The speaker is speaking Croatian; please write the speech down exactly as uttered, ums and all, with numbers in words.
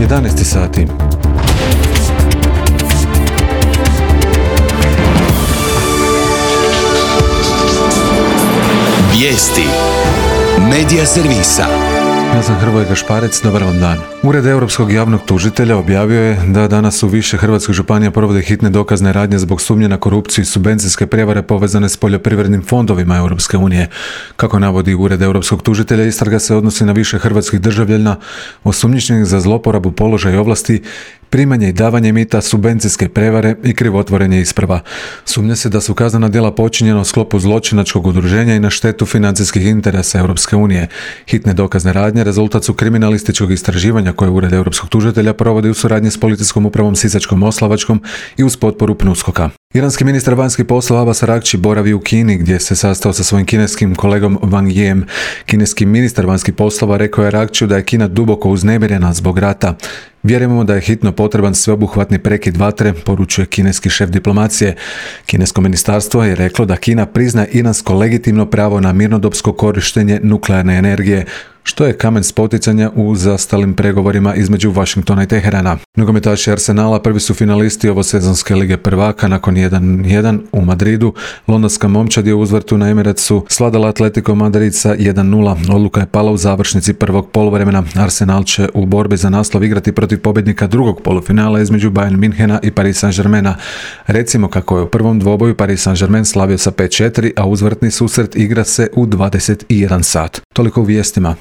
jedanaest sati. Vijesti Medija servisa. Ja sam Hrvoje Gašparec, dobar vam dan. Ured Europskog javnog tužitelja objavio je da danas u više hrvatskih županija provode hitne dokazne radnje zbog sumnje na korupciju i subvencijske prijevare povezane s poljoprivrednim fondovima Europske unije. Kako navodi Ured Europskog tužitelja, istraga se odnosi na više hrvatskih državljana osumnjičenih za zloporabu položaja i ovlasti, primanje i davanje mita, subvencijske prevare i krivotvorenje isprava. Sumnja se da su kaznena djela počinjena u sklopu zločinačkog udruženja i na štetu financijskih interesa Europske unije. Hitne dokazne radnje rezultat su kriminalističkog istraživanja koje Ured Europskog tužitelja provodi u suradnji s policijskom upravom Sisačko-moslavačkom i uz potporu PNUSKOK-a. Iranski ministar vanjskih poslova Abbas Araghchi boravi u Kini gdje se sastao sa svojim kineskim kolegom Wang Yijem. Kineski ministar vanjskih poslova rekao je Araghchiju da je Kina duboko uznemirena zbog rata. Vjerujemo da je hitno potreban sveobuhvatni prekid vatre, poručuje kineski šef diplomacije. Kinesko ministarstvo je reklo da Kina priznaje iransko legitimno pravo na mirnodopsko korištenje nuklearne energije, što je kamen spoticanja u zastalim pregovorima između Washingtona i Teherana. Nogometaši Arsenala prvi su finalisti ovosezonske lige prvaka nakon jedan jedan u Madridu. Londonska momčad je u uzvrtu na Emiratsu svladala Atletico Madrid sa jedan nula. Odluka je pala u završnici prvog poluvremena. Arsenal će u borbi za naslov igrati protiv pobjednika drugog polufinala između Bayern Münchena i Paris Saint-Germaina. Recimo kako je u prvom dvoboju Paris Saint-Germain slavio sa pet četiri, a uzvrtni susret igra se u dvadeset jedan sat. Toliko u vijestima.